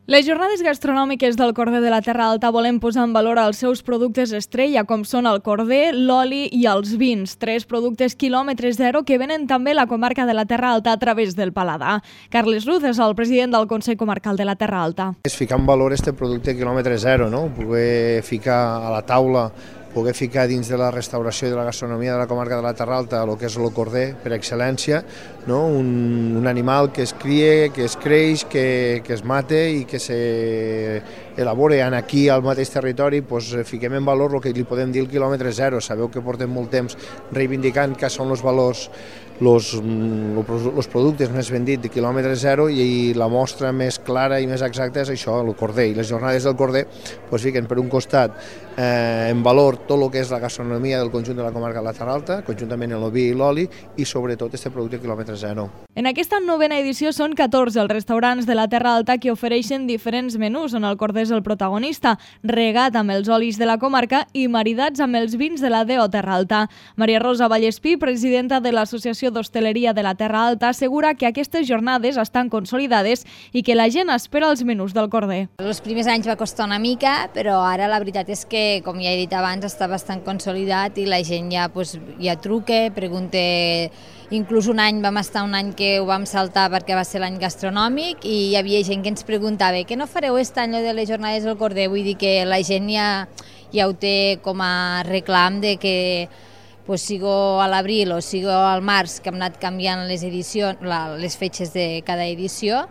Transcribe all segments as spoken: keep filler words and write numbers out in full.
Les jornades gastronòmiques del Corder de la Terra Alta volen posar en valor els seus productes estrella, com són el corder, l'oli i els vins, tres productes quilòmetre zero que venen també a la comarca de la Terra Alta a través del paladar. Carles Luz és el president del Consell Comarcal de la Terra Alta. És ficar en valor este producte quilòmetre zero, no? Poder ficar a la taula, poder ficar dins de la restauració i de la gastronomia de la comarca de la Terra Alta el que és el corder per excel·lència, no? un, un animal que es crie, que es creix, que, que es mate i que s'elabora aquí al mateix territori. Pues, fiquem en valor el que li podem dir el quilòmetre zero. Sabeu que portem molt temps reivindicant que són els valors, els productes més vendits de quilòmetre zero, i la mostra més clara i més exacta és això, el corder. I les jornades del corder pues, fiquen per un costat eh, en valor tot el que és la gastronomia del conjunt de la comarca de la Terra Alta, conjuntament amb el vi i l'oli, i sobretot este producte quilòmetre zero. En aquesta novena edició són catorze els restaurants de la Terra Alta que ofereixen diferents menús, on el corder és el protagonista, regat amb els olis de la comarca i maridats amb els vins de la D O Terra Alta. Maria Rosa Vallespí, presidenta de l'Associació d'Hostaleria de la Terra Alta, assegura que aquestes jornades estan consolidades i que la gent espera els menús del corder. Els primers anys va costar una mica, però ara la veritat és que, com ja he dit abans, està bastant consolidat i la gent ja, pues, ja truca, pregunta. Inclús un any vam estar un any que ho vam saltar perquè va ser l'any gastronòmic i hi havia gent que ens preguntava què no fareu aquest any de les jornades del corder? Vull dir que la gent ja, ja ho té com a reclam de que pues, sigo a l'abril o sigo al març, que hem anat canviant les edicions, la, les fetges de cada edició,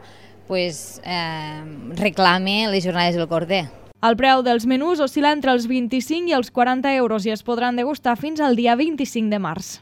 pues, eh, reclame les jornades del corder. El preu dels menús oscil·la entre els vint-i-cinc i els quaranta euros i es podran degustar fins al dia vint-i-cinc de març.